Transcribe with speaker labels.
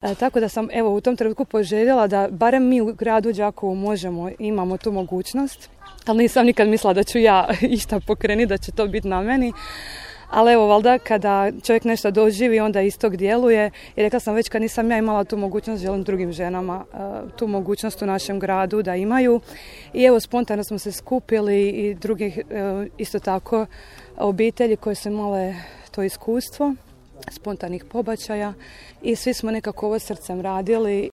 Speaker 1: Tako da sam u tom trenutku poželjela da barem mi u gradu Đakovu imamo tu mogućnost, ali nisam nikad mislila da ću ja išta pokrenuti, da će to biti na meni. Ali valjda kada čovjek nešto doživi, onda istog djeluje. I rekla sam već kad nisam ja imala tu mogućnost, želim drugim ženama tu mogućnost u našem gradu da imaju. I spontano smo se skupili i drugih isto tako obitelji koje su imale to iskustvo spontanih pobačaja i svi smo nekako ovo srcem radili